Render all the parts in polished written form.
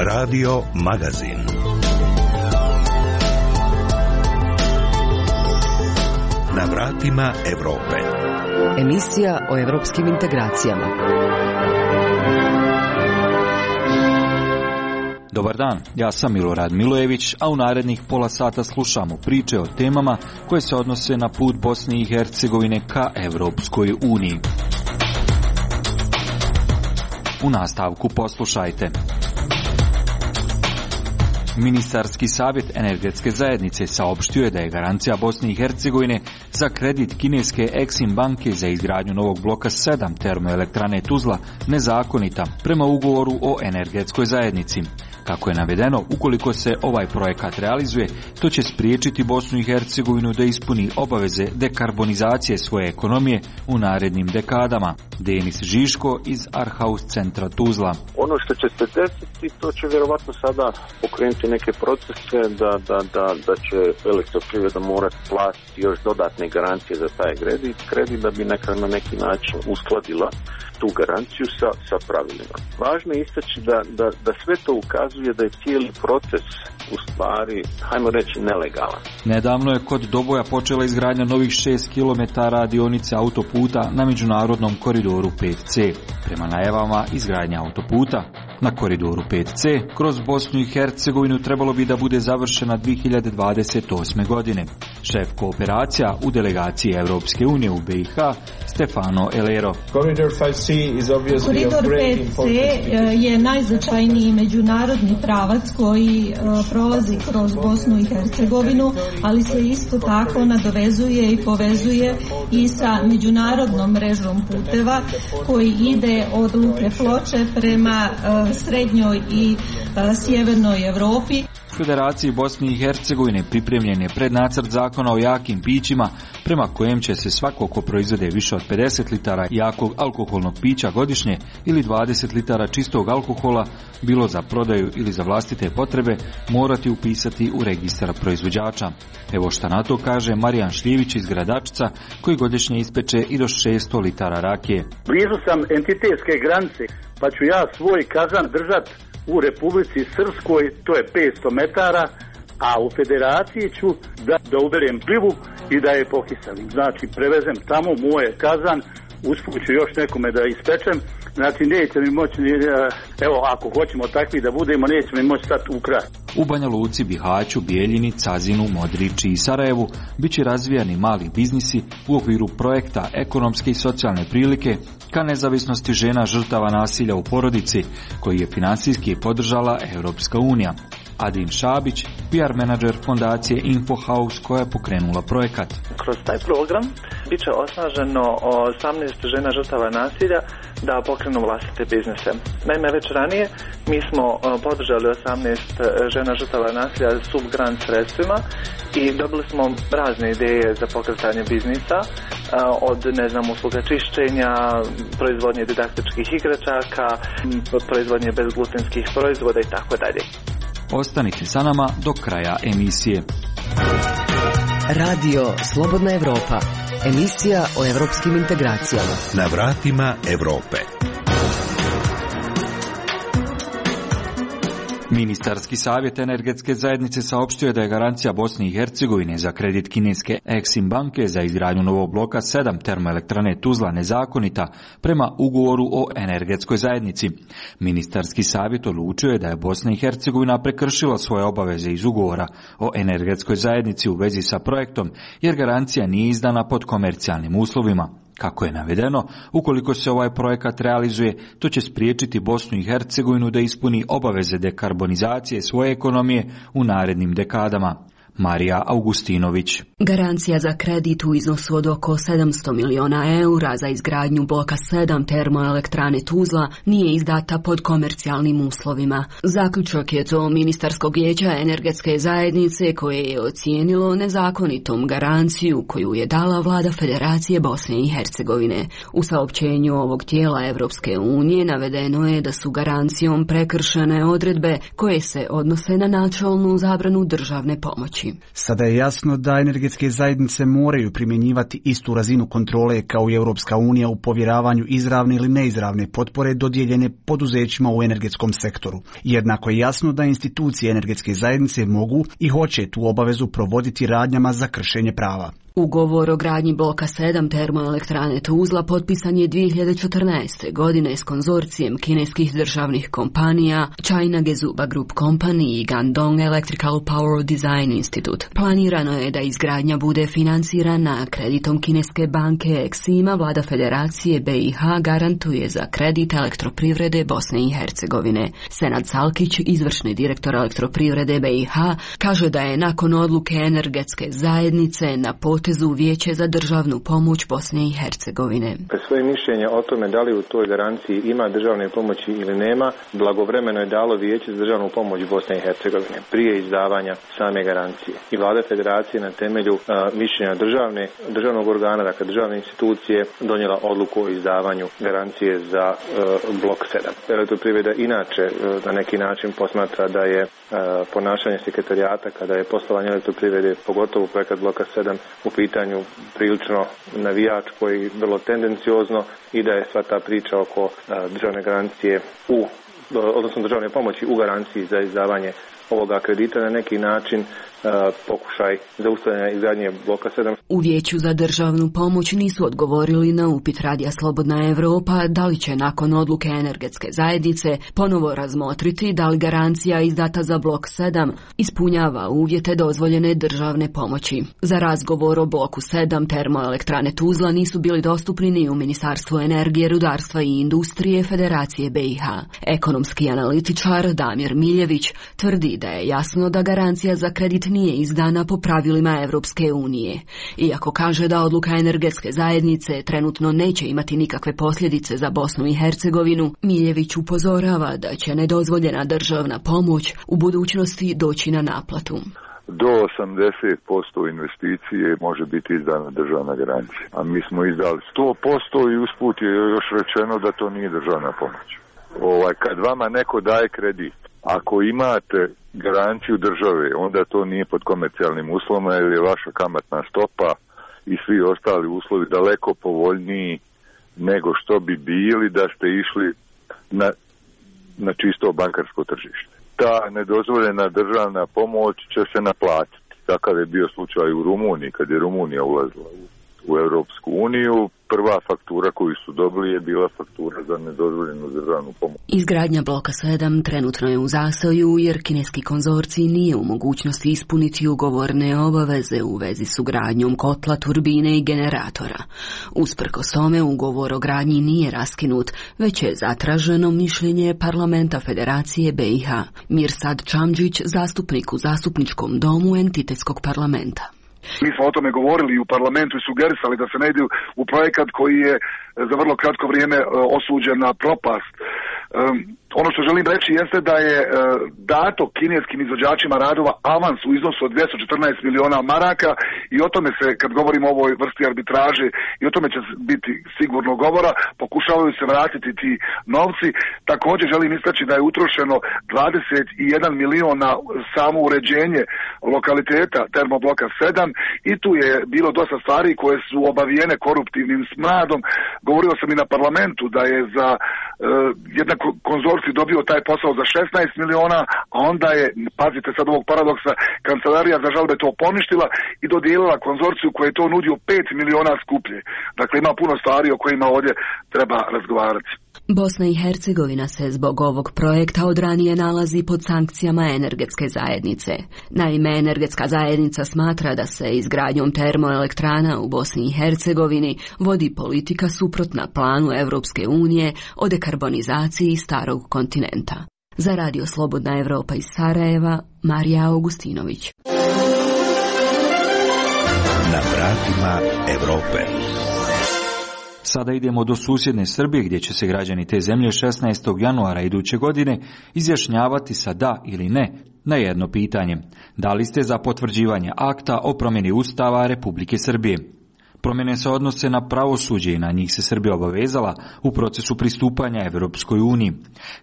Radio Magazin. Na vratima Evrope. Emisija o evropskim integracijama. Dobar dan, ja sam Milorad Milojević, a u narednih pola sata slušamo priče o temama koje se odnose na put Bosne i Hercegovine ka Evropskoj uniji. U nastavku poslušajte. Ministarski savjet energetske zajednice saopštio je da je garancija Bosne i Hercegovine za kredit kineske Exim banke za izgradnju novog bloka 7 termoelektrane Tuzla nezakonita prema ugovoru o energetskoj zajednici. Kako je navedeno, ukoliko se ovaj projekat realizuje, to će spriječiti Bosnu i Hercegovinu da ispuni obaveze dekarbonizacije svoje ekonomije u narednim dekadama. Denis Žiško iz Arhaus centra Tuzla. Ono što će se desiti, to će vjerovatno sada pokrenuti neke procese da će elektroprivreda morati platiti još dodatne garancije za taj kredit da bi na neki način uskladila tu garanciju sa pravilima. Važno je istaći da sve to ukazuje da je cijeli proces u stvari, hajmo reći, nelegalan. Nedavno je kod Doboja počela izgradnja novih 6 km dionice autoputa na međunarodnom koridoru 5C. Prema najavama, izgradnja autoputa na koridoru 5C kroz Bosnu i Hercegovinu trebalo bi da bude završena 2028. godine. Šef kooperacija u delegaciji Evropske unije u BiH, Stefano Elero. Koridor 5C je najznačajniji međunarodni pravac koji prolazi kroz Bosnu i Hercegovinu, ali se isto tako nadovezuje i povezuje i sa međunarodnom mrežom puteva koji ide od Luke Ploče prema srednjoj i sjevernoj Europi. U Federaciji Bosne i Hercegovine pripremljen je prednacrt zakona o jakim pićima prema kojem će se svako ko proizvede više od 50 litara jakog alkoholnog pića godišnje ili 20 litara čistog alkohola, bilo za prodaju ili za vlastite potrebe, morati upisati u registar proizvođača. Evo šta na to kaže Marijan Šljivić iz Gradačca, koji godišnje ispeče i do 600 litara rakije. Blizu sam entitetske granice, pa ću ja svoj kazan držat u Republici Srpskoj, to je 500 metara, a u Federaciji ću da uberem plivu i da je pokiselim. Znači, prevezem tamo moje kazan, usput ću još nekome da ispečem, znači neće mi moći, evo ako hoćemo takvi da budemo, neće mi moći stati u kraj. U Banja Luci, Bihaću, Bijeljini, Cazinu, Modriči i Sarajevu bit će razvijani mali biznisi u okviru projekta ekonomske i socijalne prilike ka nezavisnosti žena žrtava nasilja u porodici, koji je financijski podržala Europska unija. Adin Šabić, PR menadžer fondacije InfoHouse koja je pokrenula projekat. Kroz taj program bit će osnaženo 18 žena žrtava nasilja da pokrenu vlastite biznise. Naime, već ranije mi smo podržali 18 žena žrtava nasilja subgrant sredstvima i dobili smo razne ideje za pokretanje biznisa, od usluga čišćenja, proizvodnje didaktičkih igračaka, proizvodnje bezglutenskih proizvoda i tako dalje. Ostanite sa nama do kraja emisije. Radio Slobodna Evropa. Emisija o evropskim integracijama. Na vratima Evrope. Ministarski savjet energetske zajednice saopštio je da je garancija Bosne i Hercegovine za kredit kineske Exim banke za izgradnju novog bloka 7 termoelektrane Tuzla nezakonita prema ugovoru o energetskoj zajednici. Ministarski savjet odlučio je da je Bosna i Hercegovina prekršila svoje obaveze iz ugovora o energetskoj zajednici u vezi sa projektom, jer garancija nije izdana pod komercijalnim uslovima. Kako je navedeno, ukoliko se ovaj projekat realizuje, to će spriječiti Bosnu i Hercegovinu da ispuni obaveze dekarbonizacije svoje ekonomije u narednim dekadama. Marija Augustinović. Garancija za kredit u iznosu od oko 700 miliona eura za izgradnju bloka 7 termoelektrane Tuzla nije izdata pod komercijalnim uslovima. Zaključak je to Ministarskog vijeća energetske zajednice koje je ocijenilo nezakonitom garanciju koju je dala vlada Federacije Bosne i Hercegovine. U saopćenju ovog tijela Evropske unije navedeno je da su garancijom prekršene odredbe koje se odnose na načelnu zabranu državne pomoći. pomoći. Sada je jasno da energetske zajednice moraju primjenjivati istu razinu kontrole kao i Europska unija u povjeravanju izravne ili neizravne potpore dodijeljene poduzećima u energetskom sektoru. Jednako je jasno da institucije energetske zajednice mogu i hoće tu obavezu provoditi radnjama za kršenje prava. Ugovor o gradnji bloka 7 termoelektrane Tuzla potpisan je 2014. godine s konzorcijem kineskih državnih kompanija China Gezuba Group Company i Guangdong Electrical Power Design Institute. Planirano je da izgradnja bude financirana kreditom kineske banke Exima. Vlada Federacije BiH garantuje za kredit Elektroprivrede Bosne i Hercegovine. Senad Salkić, izvršni direktor Elektroprivrede BiH, kaže da je nakon odluke energetske zajednice na potezu Vijeće za državnu pomoć Bosne i Hercegovine. Svoje mišljenje o tome da li u toj garanciji ima državne pomoći ili nema, blagovremeno je dalo Vijeće za državnu pomoć Bosne i Hercegovine prije izdavanja same garancije. I Vlada Federacije na temelju mišljenja državnog organa, dakle državne institucije, donijela odluku o izdavanju garancije za blok 7. Elektroprivreda inače na neki način posmatra da je ponašanje sekretarijata kada je poslovanje Elektroprivrede, pogotovo projekat bloka 7, u pitanju prilično navijačko i vrlo tendenciozno i da je sva ta priča oko državne garancije odnosno državne pomoći u garanciji za izdavanje ovoga kredita na neki način pokušaj zaustavljanja izgradnje bloka 7. U Vijeću za državnu pomoć nisu odgovorili na upit Radija Slobodna Evropa da li će nakon odluke energetske zajednice ponovo razmotriti da li garancija izdata za blok 7 ispunjava uvjete dozvoljene državne pomoći. Za razgovor o bloku 7 termoelektrane Tuzla nisu bili dostupni ni u Ministarstvu energije, rudarstva i industrije Federacije BiH. Ekonomski analitičar Damir Miljević tvrdi da je jasno da garancija za kredit nije izdana po pravilima Evropske unije. Iako kaže da odluka energetske zajednice trenutno neće imati nikakve posljedice za Bosnu i Hercegovinu, Miljević upozorava da će nedozvoljena državna pomoć u budućnosti doći na naplatu. Do 80% investicije može biti izdana državna garancija, a mi smo izdali 100% i usput je još rečeno da to nije državna pomoć. Kad vama neko daje kredit, ako imate garanciju države, onda to nije pod komercijalnim uslovima jer je vaša kamatna stopa i svi ostali uslovi daleko povoljniji nego što bi bili da ste išli na čisto bankarsko tržište. Ta nedozvoljena državna pomoć će se naplatiti. Takav je bio slučaj u Rumuniji, kad je Rumunija ulazila u Europsku uniju. Prva faktura koju su dobili je bila faktura za nedozvoljenu državnu pomoć. Izgradnja bloka 7 trenutno je u zastoju jer kineski konzorcij nije u mogućnosti ispuniti ugovorne obaveze u vezi s ugradnjom kotla, turbine i generatora. Usprkos tome ugovor o gradnji nije raskinut, već je zatraženo mišljenje Parlamenta Federacije BiH. Mirsad Čamđić, zastupnik u Zastupničkom domu entitetskog parlamenta. Mi smo o tome govorili i u parlamentu i sugerisali da se ne ide u projekat koji je za vrlo kratko vrijeme osuđen na propast. Ono što želim reći jeste da je dato kineskim izvođačima radova avans u iznosu od 214 miliona maraka i o tome se, kad govorimo o ovoj vrsti arbitraže, i o tome će biti sigurno govora, pokušavaju se vratiti ti novci. Također želim istaći da je utrošeno 21 milion na samo uređenje lokaliteta termobloka 7 i tu je bilo dosta stvari koje su obavijene koruptivnim smradom. Govorio sam i na parlamentu da je za jedan konzorcij dobio taj posao za 16 miliona, a onda je, pazite sad ovog paradoksa, kancelarija za žalbe to poništila i dodijelila konzorciju koji je to nudio 5 miliona skuplje. Dakle, ima puno stvari o kojima ovdje treba razgovarati. Bosna i Hercegovina se zbog ovog projekta od ranije nalazi pod sankcijama energetske zajednice. Naime, energetska zajednica smatra da se izgradnjom termoelektrana u Bosni i Hercegovini vodi politika suprotna planu Evropske unije o dekarbonizaciji starog kontinenta. Za Radio Slobodna Evropa iz Sarajeva, Marija Augustinović. Na vratima Evrope. Sada idemo do susjedne Srbije gdje će se građani te zemlje 16. januara iduće godine izjašnjavati sa da ili ne na jedno pitanje. Da li ste za potvrđivanje akta o promjeni Ustava Republike Srbije? Promjene se odnose na pravosuđe i na njih se Srbija obavezala u procesu pristupanja Evropskoj uniji.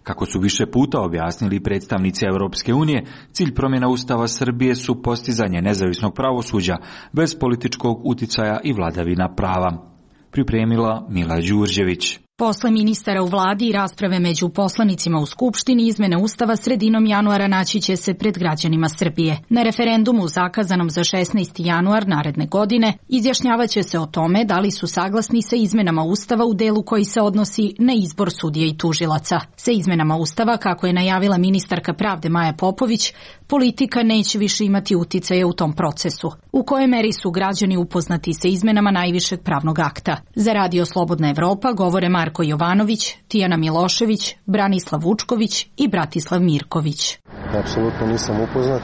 Kako su više puta objasnili predstavnici Evropske unije, cilj promjena Ustava Srbije su postizanje nezavisnog pravosuđa bez političkog uticaja i vladavina prava. Pripremila Mila Đurđević. Posle ministara u vladi i rasprave među poslanicima u Skupštini, izmene Ustava sredinom januara naći će se pred građanima Srbije. Na referendumu zakazanom za 16. januar naredne godine izjašnjavaće se o tome da li su saglasni sa izmenama Ustava u delu koji se odnosi na izbor sudija i tužilaca. Sa izmenama Ustava, kako je najavila ministarka pravde Maja Popović, politika neće više imati uticaja u tom procesu. U kojoj meri su građani upoznati sa izmenama najvišeg pravnog akta? Za Radio Slobodna Evropa govore Marko Jovanović, Tijana Milošević, Branislav Vučković i Bratislav Mirković. Apsolutno nisam upoznat,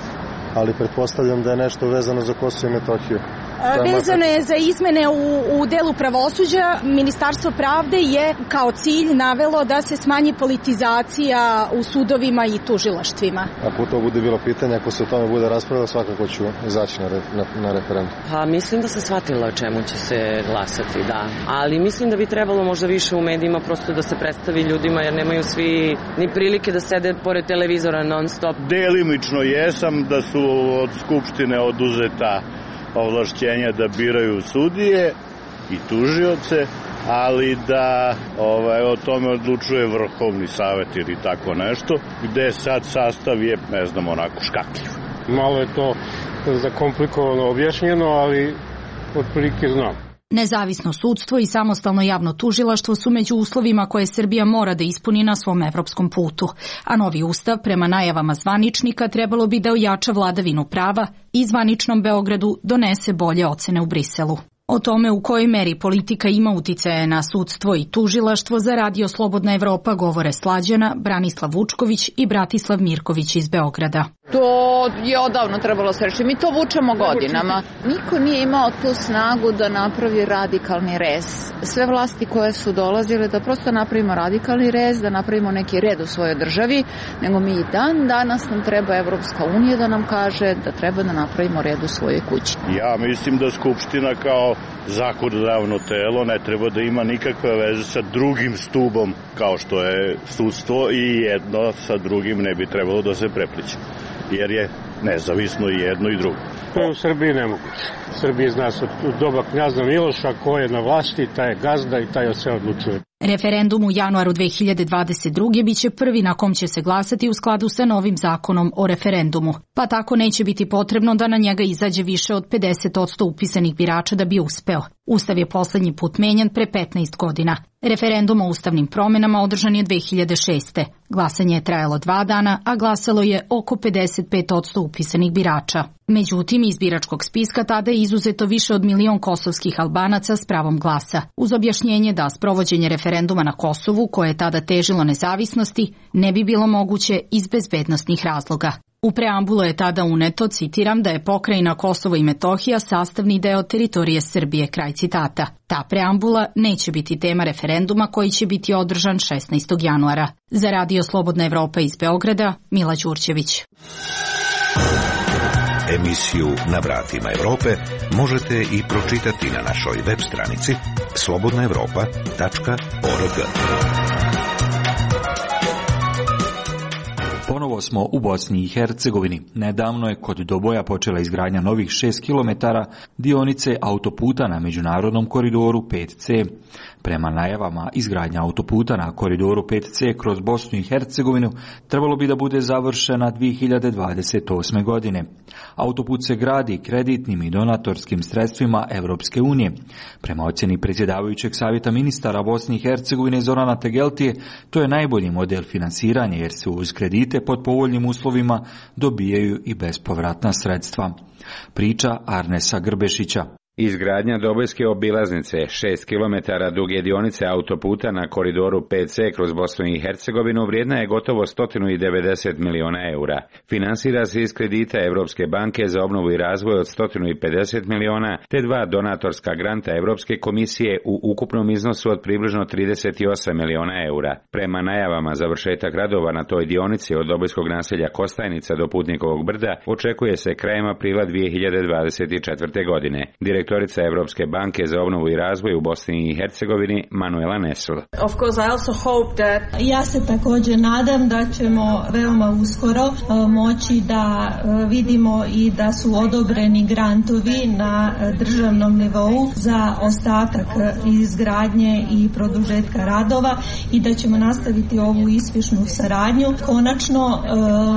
ali pretpostavljam da je nešto vezano za Kosovo i Metohiju. Vezano je za izmene u delu pravosuđa. Ministarstvo pravde je kao cilj navelo da se smanji politizacija u sudovima i tužilaštvima. Ako to bude bilo pitanje, ako se o tome bude raspravljalo, svakako ću izaći na referendum. Pa mislim da sam shvatila o čemu će se glasati, da. Ali mislim da bi trebalo možda više u medijima prosto da se predstavi ljudima, jer nemaju svi ni prilike da sede pored televizora non stop. Delimično jesam da su od Skupštine oduzeta ovlašćenja da biraju sudije i tužioce, ali da o tome odlučuje Vrhovni savet ili tako nešto, gde sad sastav je, ne znam, onako škakljiv. Malo je to zakomplikovano objašnjeno, ali otprilike znam. Nezavisno sudstvo i samostalno javno tužilaštvo su među uslovima koje Srbija mora da ispuni na svom evropskom putu, a novi ustav, prema najavama zvaničnika, trebalo bi da ojača vladavinu prava i zvaničnom Beogradu donese bolje ocene u Briselu. O tome u kojoj meri politika ima uticaje na sudstvo i tužilaštvo za Radio Slobodna Evropa govore Slađana, Branislav Vučković i Bratislav Mirković iz Beograda. To je odavno trebalo se reći. Mi to vučemo godinama. Niko nije imao tu snagu da napravi radikalni rez. Sve vlasti koje su dolazile da prosto napravimo radikalni rez, da napravimo neki red u svojoj državi, nego mi i danas nam treba Evropska unija da nam kaže da treba da napravimo red u svojoj kući. Ja mislim da Skupština kao zakonodavno telo ne treba da ima nikakve veze sa drugim stubom kao što je sudstvo i jedno sa drugim ne bi trebalo da se prepliče, jer je nezavisno i jedno i drugo. To je u Srbiji nemoguće. Srbiji zna se od doba knjaza Miloša ko je na vlasti, taj je gazda i taj se odlučuje. Referendum u januaru 2022. biće prvi na kom će se glasati u skladu sa novim zakonom o referendumu, pa tako neće biti potrebno da na njega izađe više od 50% upisanih birača da bi uspeo. Ustav je poslednji put menjan pre 15 godina. Referendum o ustavnim promjenama održan je 2006. Glasanje je trajalo 2 dana, a glasalo je oko 55% upisanih birača. Međutim, iz biračkog spiska tada je izuzeto više od 1 milion kosovskih Albanaca s pravom glasa, uz objašnjenje da sprovođenje referenduma na Kosovu, koje je tada težilo nezavisnosti, ne bi bilo moguće iz bezbednosnih razloga. U preambulu je tada uneto, citiram, da je pokrajina Kosovo i Metohija sastavni deo teritorije Srbije, kraj citata. Ta preambula neće biti tema referenduma koji će biti održan 16. januara. Za Radio Slobodna Evropa iz Beograda, Mila Đurđević. Emisiju Na vratima Evrope možete i pročitati na našoj web stranici slobodnaevropa.org. Ponovo smo u Bosni i Hercegovini. Nedavno je kod Doboja počela izgradnja novih 6 km dionice autoputa na međunarodnom koridoru 5C. Prema najavama, izgradnja autoputa na koridoru 5C kroz Bosnu i Hercegovinu trebalo bi da bude završena 2028. godine. Autoput se gradi kreditnim i donatorskim sredstvima Evropske unije. Prema ocjeni predsjedavajućeg savjeta ministara Bosne i Hercegovine Zorana Tegeltije, to je najbolji model finansiranja jer se uz kredite pod povoljnim uslovima dobijaju i bespovratna sredstva. Priča Arnesa Grbešića. Izgradnja Dobojske obilaznice, 6 km duge dionice autoputa na koridoru 5C kroz Bosnu i Hercegovinu vrijedna je gotovo 190 miliona eura. Finansira se iz kredita Evropske banke za obnovu i razvoj od 150 miliona, te 2 donatorska granta Evropske komisije u ukupnom iznosu od približno 38 miliona eura. Prema najavama, završetak radova na toj dionici od Dobojskog naselja Kostajnica do Putnikovog brda očekuje se krajem aprila 2024. godine. Direktor direktorica Evropske banke za obnovu i razvoj u Bosni i Hercegovini Manuela Nesl. Ja se također nadam da ćemo veoma uskoro moći da vidimo i da su odobreni grantovi na državnom nivou za ostatak izgradnje i produžetka radova i da ćemo nastaviti ovu uspješnu saradnju. Konačno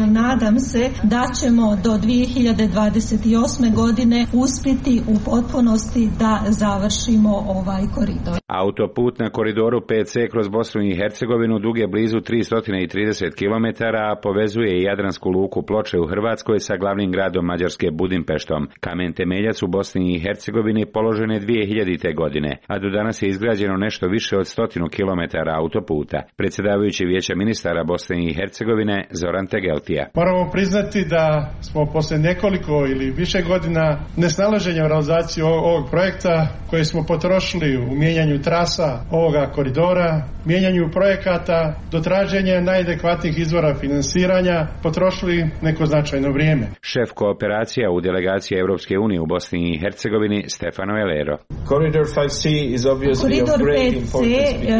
nadam se da ćemo do 2028. godine uspjeti u potpunosti da završimo ovaj koridor. Autoput na koridoru 5C kroz Bosnu i Hercegovinu dug je blizu 330 km, a povezuje i Jadransku luku Ploče u Hrvatskoj sa glavnim gradom Mađarske Budimpeštom. Kamen temeljac u Bosni i Hercegovini položen je 2000. godine, a do danas je izgrađeno nešto više od 100 km autoputa. Predsjedavajući Vijeća ministara Bosne i Hercegovine Zoran Tegeltija. Moramo priznati da smo posle nekoliko ili više godina nesnalaženja u realizaciji ovog projekta koje smo potrošili u mijenjanju trasa ovoga koridora, mijenjanju projekata do traženja najadekvatnijih izvora finansiranja potrošili neko značajno vrijeme. Šef kooperacija u delegaciji Europske unije u Bosni i Hercegovini Stefano Elero. Koridor 5C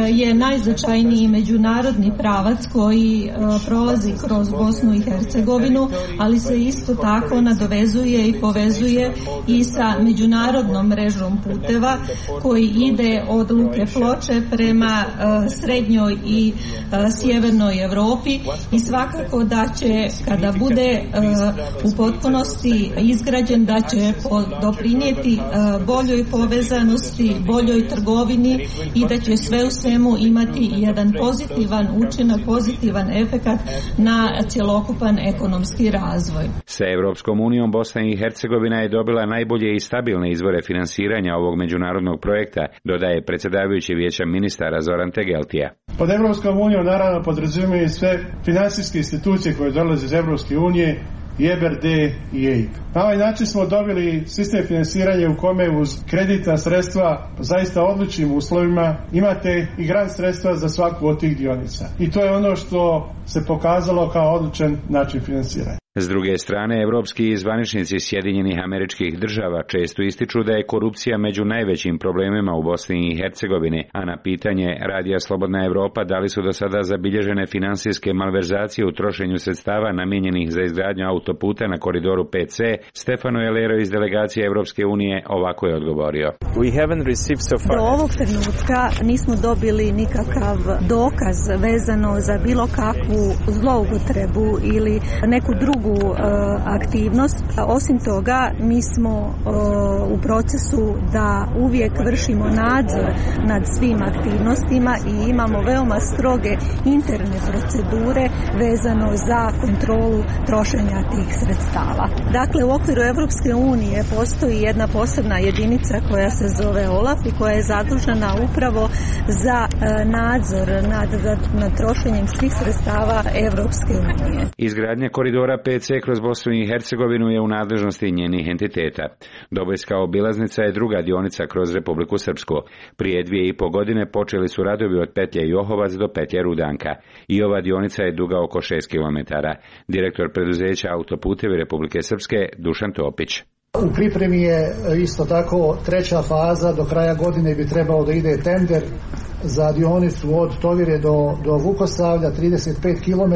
je najznačajniji međunarodni pravac koji prolazi kroz Bosnu i Hercegovinu, ali se isto tako nadovezuje i povezuje i sa međunarodnom mrežom puteva koji ide od luke Ploče prema srednjoj i sjevernoj Europi i svakako da će, kada bude u potpunosti izgrađen, da će doprinijeti boljoj povezanosti, boljoj trgovini i da će sve u svemu imati jedan pozitivan učinak, pozitivan efekat na cjelokupan ekonomski razvoj. Sa Europskom unijom Bosna i Hercegovina je dobila najbolje i stabilne izvore finansiranja ovog međunarodnog projekta, dodaje predsjedavajući Vijeća ministara Zoran Tegeltija. Pod Europskom unijom naravno podrazumijevaju sve financijske institucije koje dolaze iz Europske unije, i EBRD i EIB. Na ovaj način smo dobili sistem finansiranja u kome uz kreditna sredstva zaista odličnim uslovima imate i grant sredstva za svaku od tih dionica. I to je ono što se pokazalo kao odličan način finansiranja. S druge strane, evropski zvaničnici Sjedinjenih Američkih Država često ističu da je korupcija među najvećim problemima u Bosni i Hercegovini, a na pitanje Radija Slobodna Evropa da li su do sada zabilježene finansijske malverzacije u trošenju sredstava namijenjenih za izgradnju autoputa na koridoru 5C, Stefano Elero iz delegacije Evropske unije ovako je odgovorio. Do ovog trenutka nismo dobili nikakav dokaz vezano za bilo kakvu zloupotrebu ili neku drugu aktivnost. Osim toga, mi smo u procesu da uvijek vršimo nadzor nad svim aktivnostima i imamo veoma stroge interne procedure vezano za kontrolu trošenja tih sredstava. Dakle, u okviru Evropske unije postoji jedna posebna jedinica koja se zove OLAF i koja je zadužena upravo za nadzor nad trošenjem svih sredstava Evropske unije. Izgradnja koridora 5C kroz Bosnu i Hercegovinu je u nadležnosti njenih entiteta. Dobojska obilaznica je druga dionica kroz Republiku Srpsku. Prije 2,5 godine počeli su radovi od petlje Johovac do petlje Rudanka. I ova dionica je duga oko 6 km. Direktor preduzeća Autoputevi Republike Srpske Dušan Topić. U pripremi je isto tako treća faza, do kraja godine bi trebao da ide tender za dionicu od Tovire do Vukosavlja, 35 km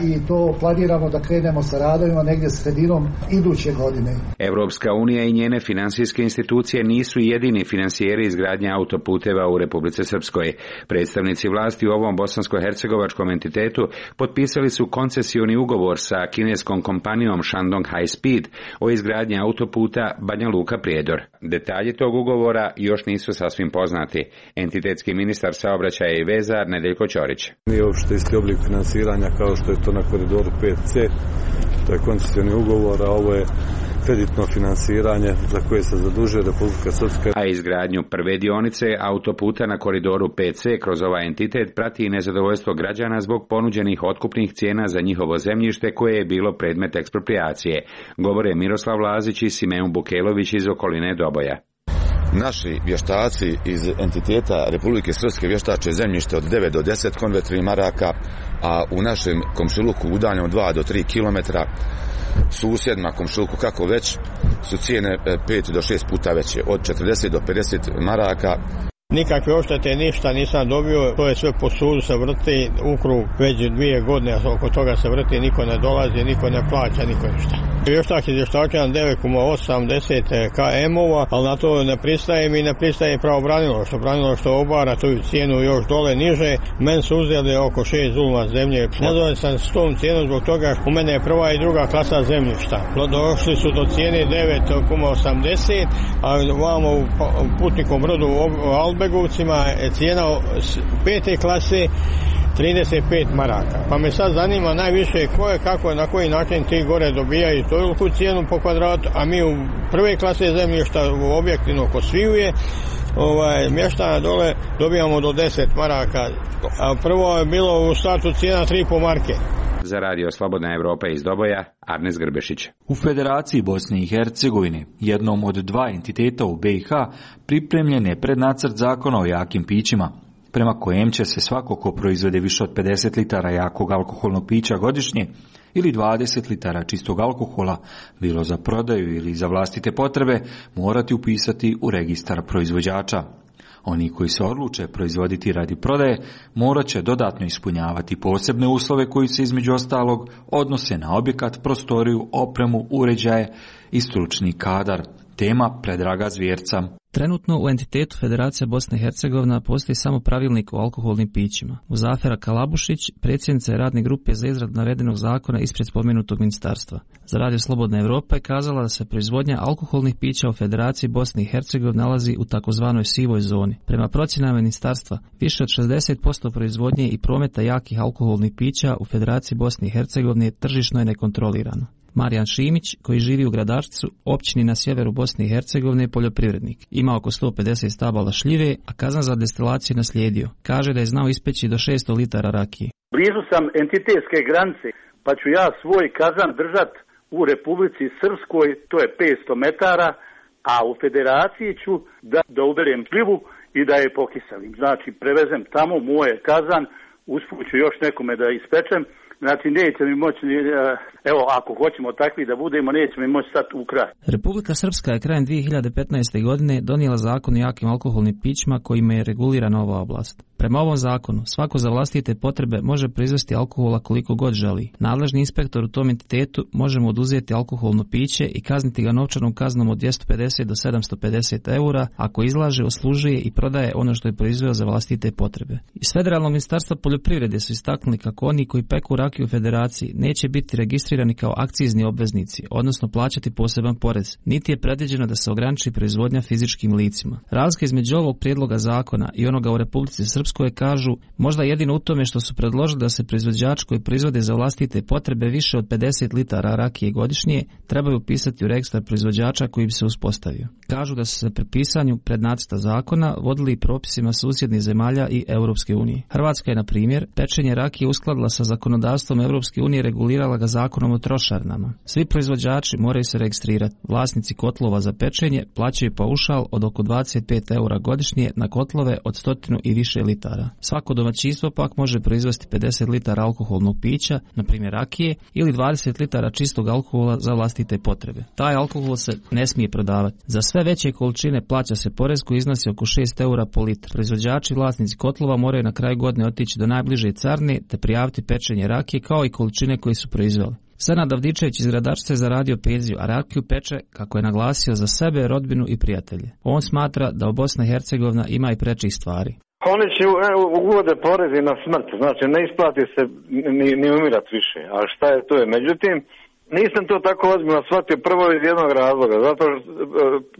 i to planiramo da krenemo sa radovima negdje sredinom iduće godine. Evropska unija i njene finansijske institucije nisu jedini finansijeri izgradnje autoputeva u Republici Srpskoj. Predstavnici vlasti u ovom bosansko-hercegovačkom entitetu potpisali su koncesioni ugovor sa kineskom kompanijom Shandong High Speed o izgradnji autoputa Banja Luka Prijedor. Detalji tog ugovora još nisu sasvim poznati. Entitetski ministar saobraćaja i veza Nedeljko Ćorić. Nije uopšte isti oblik finansiranja kao što je to na koridoru 5C. To je koncesioni ugovor, a ovo je kreditno finansiranje za koje se zadužuje Republika Srpska. A izgradnju prve dionice autoputa na koridoru 5C kroz ovaj entitet prati i nezadovoljstvo građana zbog ponuđenih otkupnih cijena za njihovo zemljište koje je bilo predmet eksproprijacije. Govore Miroslav Lazić i Simeon Bukelović iz okoline Doboja. naši vještaci iz entiteta Republike Srpske vještače zemljište od 9 do 10 konvertibilnih maraka, a u našem komšiluku udaljeno 2 do 3 kilometra susjedima komšiluku kako već su cijene 5 do 6 puta veće, od 40 do 50 maraka. Nikakve oštete, ništa nisam dobio, to je sve po sudu se vrti u krug već 2 godine, oko toga se vrti, niko ne dolazi, niko ne plaća, niko ništa. Vještak je vještačan 9,80 km-ova, ali na to ne pristaje mi, ne pristaje pravobranilaštvo obara tu cijenu još dole niže. Men su uzeli oko 6 zuluma zemlje. Nezadovoljan sam s tom cijenom zbog toga što u mene je prva i druga klasa zemljišta. Došli su do cijene 9,80, a vamo u putnikom brodu u Albegovcima je cijena 5. klase 35 maraka. Pa me sad zanima najviše ko je, kako, na koji način ti gore dobijaju toliku cijenu po kvadratu, a mi u prve klase zemljišta u objektivno ko svijuje mještana dole dobijamo do 10 maraka, a prvo je bilo u startu cijena 3,5 marke. Za Radio Slobodna Evropa iz Doboja, Arnes Grbešić. U Federaciji Bosne i Hercegovine, jednom od 2 entiteta u BiH, pripremljen je prednacrt zakona o jakim pićima, prema kojem će se svako ko proizvede više od 50 litara jakog alkoholnog pića godišnje ili 20 litara čistog alkohola, bilo za prodaju ili za vlastite potrebe, morati upisati u registar proizvođača. Oni koji se odluče proizvoditi radi prodaje morat će dodatno ispunjavati posebne uslove koji se između ostalog odnose na objekat, prostoriju, opremu, uređaje i stručni kadar. Tema Predraga Zvjerca. Trenutno u entitetu Federacija Bosne i Hercegovina postoji samo pravilnik o alkoholnim pićima. Muzafera Kalabušić, predsjednica je radne grupe za izradu navedenog zakona ispred spomenutog ministarstva. Za Radio Slobodna Evropa je kazala da se proizvodnja alkoholnih pića u Federaciji Bosne i Hercegovine nalazi u takozvanoj sivoj zoni. Prema procjenama ministarstva, više od 60% proizvodnje i prometa jakih alkoholnih pića u Federaciji Bosne i Hercegovine tržišno je nekontrolirano. Marijan Šimić, koji živi u Gradačcu, općini na sjeveru Bosne i Hercegovine, je poljoprivrednik. Ima oko 150 stabala šljive, a kazan za destilaciju naslijedio. Kaže da je znao ispeći do 600 litara rakije. Blizu sam entitetske granice, pa ću ja svoj kazan držat u Republici Srpskoj, to je 500 metara, a u Federaciji ću da uberem šljivu i da je pokiselim. Znači, prevezem tamo moje kazan, usput ću još nekome da ispečem. Znači, neće mi moći, evo, ako hoćemo takvi da budemo, neće mi moći sad ukrasti. Republika Srpska je krajem 2015. godine donijela zakon o jakim alkoholnim pićima kojima je regulirana ova oblast. Prema ovom zakonu, svako za vlastite potrebe može proizvesti alkohola koliko god želi. Nadležni inspektor u tom entitetu može mu oduzeti alkoholno piće i kazniti ga novčanom kaznom od 250 do 750 eura ako izlaže, oslužuje i prodaje ono što je proizveo za vlastite potrebe. Iz Federalnog ministarstva poljoprivrede su istaknuli kako oni koji peku rakiju u Federaciji neće biti registrirani kao akcizni obveznici, odnosno plaćati poseban porez, niti je predviđeno da se ograniči proizvodnja fizičkim licima. Razlika između ovog prijedloga zakona i onoga u Republici Srpskoj kažu možda jedino u tome što su predložili da se proizvođač koji proizvode za vlastite potrebe više od 50 litara rakije godišnje trebaju upisati u registar proizvođača koji bi se uspostavio. Kažu da su se pri pisanju prednacrta zakona vodili i propisima susjednih zemalja i Europske unije. Hrvatska je, na primjer, pečenje rakije uskladila sa zakonodavstvom Europske unije, regulirala ga zakonom o trošarinama. Svi proizvođači moraju se registrirati. Vlasnici kotlova za pečenje plaćaju paušal od oko 25 eura godišnje na kotlove od 100 i više litara. Svako domaćinstvo pak može proizvesti 50 litara alkoholnog pića, na primjer rakije, ili 20 litara čistog alkohola za vlastite potrebe. Taj alkohol se ne smije prodavati. Za sve veće količine plaća se porez koji iznosi oko 6 eura po litru. Proizvođači i vlasnici kotlova moraju na kraju godine otići do najbliže carine te prijaviti pečenje rakije kao i količine koje su proizveli. Senad Avdičević iz Gradačca je zaradio penziju, a rakiju peče, kako je naglasio, za sebe, rodbinu i prijatelje. On smatra da u Bosna i Hercegovina ima i prečih stvari. Oni će uvode porezi na smrt, znači ne isplati se ni umirati više, a šta je to je. Međutim, nisam to tako ozbiljno shvatio prvo iz jednog razloga, zato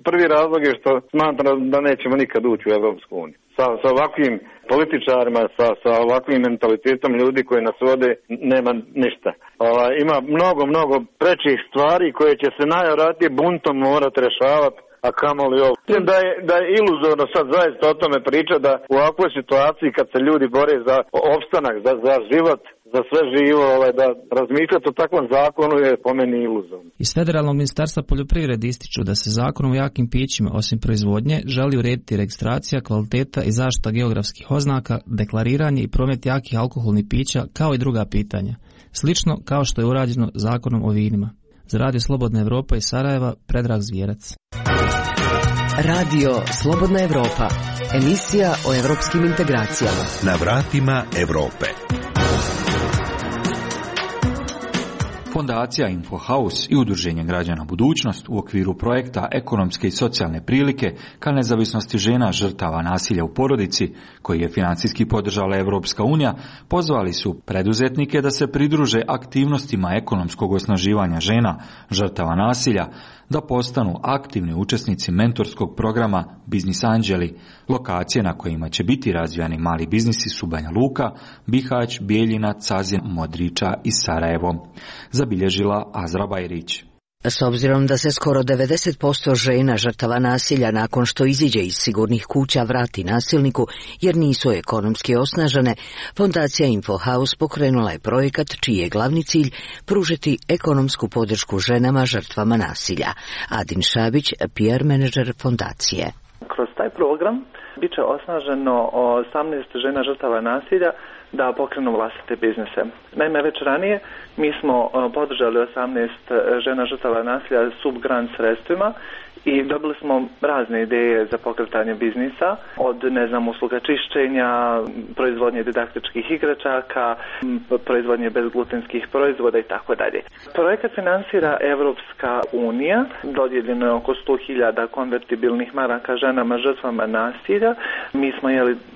prvi razlog je što smatram da nećemo nikad ući u Evropsku uniju. Sa ovakvim političarima, sa ovakvim mentalitetom ljudi koji nas vode, nema ništa. Ima mnogo prečih stvari koje će se najvjerojatnije buntom morati rješavati, a kamoli ovo. Mislim da je iluzorno sad zaista o tome priča da u ovakvoj situaciji kad se ljudi bore za opstanak, za život, za sve živo, da razmišljati o takvom zakonu je po meni iluzorno. Iz Federalnog ministarstva poljoprivrede ističu da se zakonom o jakim pićima, osim proizvodnje, želi urediti registracija, kvaliteta i zaštita geografskih oznaka, deklariranje i promet jakih alkoholnih pića, kao i druga pitanja. Slično kao što je urađeno zakonom o vinima. Za Radio Slobodna Evropa iz Sarajeva, Predrag Zvijerac. Radio Slobodna Evropa, emisija o evropskim integracijama. Na vratima Evrope. Fondacija InfoHouse i Udruženje građana Budućnost u okviru projekta Ekonomske i socijalne prilike ka nezavisnosti žena žrtava nasilja u porodici, koji je financijski podržala Evropska unija, pozvali su preduzetnike da se pridruže aktivnostima ekonomskog osnaživanja žena žrtava nasilja, da postanu aktivni učesnici mentorskog programa Biznis Anđeli, lokacije na kojima će biti razvijani mali biznisi su Banja Luka, Bihać, Bijeljina, Cazin, Modriča i Sarajevo, zabilježila Azra Bajrić. S obzirom da se skoro 90% žena žrtava nasilja nakon što iziđe iz sigurnih kuća vrati nasilniku jer nisu ekonomski osnažene, Fondacija InfoHouse pokrenula je projekat čiji je glavni cilj pružiti ekonomsku podršku ženama žrtvama nasilja. Adin Šabić, PR menadžer fondacije. Kroz taj program bit će osnaženo 18 žena žrtava nasilja da pokrenu vlastite biznise. Naime, već ranije mi smo podržali 18 žena žrtava nasilja subgrant sredstvima i dobili smo razne ideje za pokretanje biznisa, od usluga čišćenja, proizvodnje didaktičkih igračaka, proizvodnje bezglutenskih proizvoda i tako dalje. Projekat finansira Evropska unija, dodijeljeno je oko 100.000 konvertibilnih maraka ženama žrtvama nasilja. Mi smo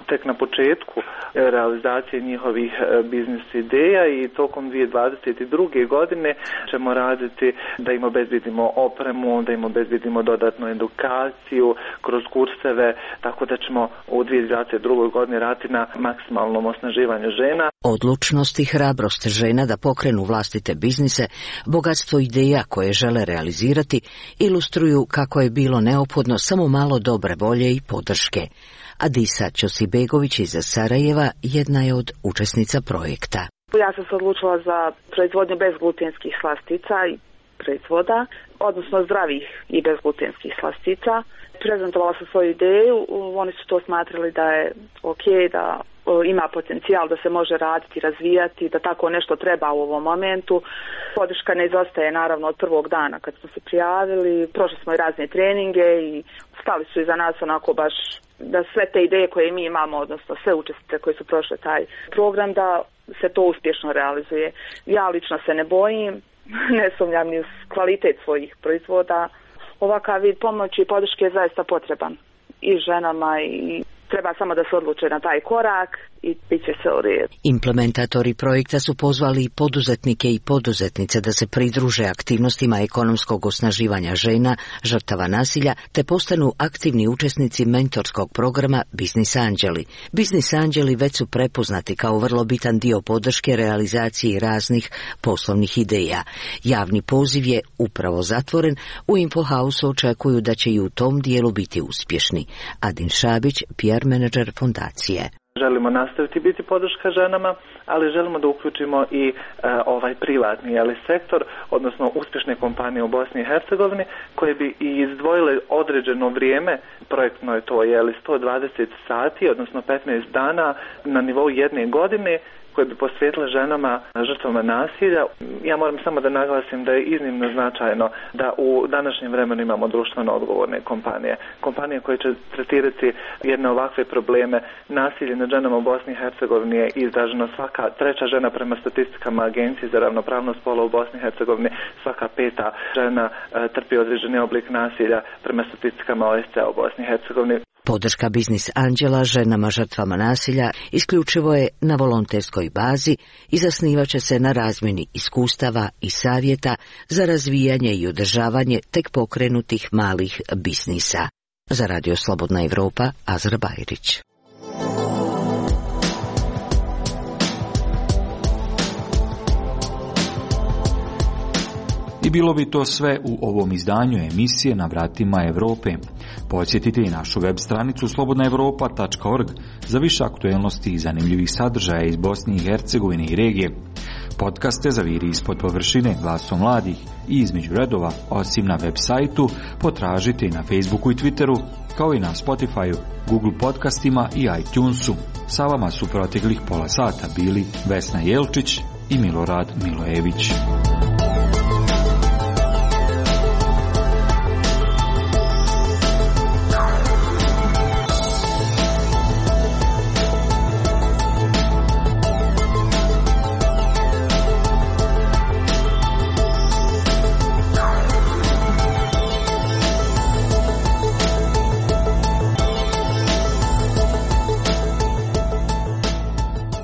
tek na početku realizacije njihovih biznis ideja i tokom 2022. godine ćemo raditi da im obezbedimo opremu, da im obezbedimo dodatnu edukaciju kroz kurseve, tako da ćemo u 2022. godini raditi na maksimalnom osnaživanju žena. Odlučnost i hrabrost žena da pokrenu vlastite biznise, bogatstvo ideja koje žele realizirati, ilustruju kako je bilo neophodno samo malo dobre volje i podrške. Adisa Ćosibegović iz Sarajeva jedna je od učesnica projekta. Ja sam se odlučila za proizvodnju bezglutenskih slastica i proizvoda, odnosno zdravih i bezglutenskih slastica. Prezentovala sam svoju ideju, oni su to smatrali da je ok, da ima potencijal da se može raditi, razvijati, da tako nešto treba u ovom momentu. Podrška ne izostaje naravno od prvog dana kad smo se prijavili, prošli smo i razne treninge i stali su iza nas onako baš da sve te ideje koje mi imamo, odnosno sve učesnice koji su prošle taj program, da se to uspješno realizuje. Ja lično se ne bojim, ne sumnjam ni u kvalitet svojih proizvoda. Ovakav vid pomoći i podrške je zaista potreban i ženama i treba samo da se odluče na taj korak i bit će se u redu. Implementatori projekta su pozvali poduzetnike i poduzetnice da se pridruže aktivnostima ekonomskog osnaživanja žena žrtava nasilja te postanu aktivni učesnici mentorskog programa Biznis Anđeli. Biznis Anđeli već su prepoznati kao vrlo bitan dio podrške realizaciji raznih poslovnih ideja. Javni poziv je upravo zatvoren, u InfoHouse očekuju da će i u tom dijelu biti uspješni. Adin Šabić, PR menadžer fondacije. Želimo nastaviti biti podrška ženama, ali želimo da uključimo i ovaj privatni sektor, odnosno uspješne kompanije u Bosni i Hercegovini koje bi i izdvojile određeno vrijeme, projektno je to 120 sati, odnosno 15 dana na nivou jedne godine, koje bi posvetile ženama žrtvama nasilja. Ja moram samo da naglasim da je iznimno značajno da u današnjem vremenu imamo društveno odgovorne kompanije. Kompanije koje će tretirati jedne ovakve probleme. Nasilje nad ženama u Bosni i Hercegovini je izraženo, svaka treća žena prema statistikama Agencije za ravnopravnost spola u Bosni i Hercegovini, svaka peta žena trpi određeni oblik nasilja prema statistikama OSCE u Bosni i Hercegovini. Podrška Biznis Anđela ženama žrtvama nasilja isključivo je na volonterskoj bazi i zasnivaće se na razmjeni iskustava i savjeta za razvijanje i održavanje tek pokrenutih malih biznisa. Za Radio Slobodna Evropa, Azra Bajrić. I bilo bi to sve u ovom izdanju emisije Na vratima Evrope. Podsjetite i našu web stranicu slobodnaevropa.org za više aktuelnosti i zanimljivih sadržaja iz Bosne i Hercegovine i regije. Podcaste Zaviri ispod površine, Glasom mladih i Između redova, osim na web sajtu, potražite i na Facebooku i Twitteru, kao i na Spotifyu, Google podcastima i iTunesu. Sa vama su proteklih pola sata bili Vesna Jelčić i Milorad Milojević.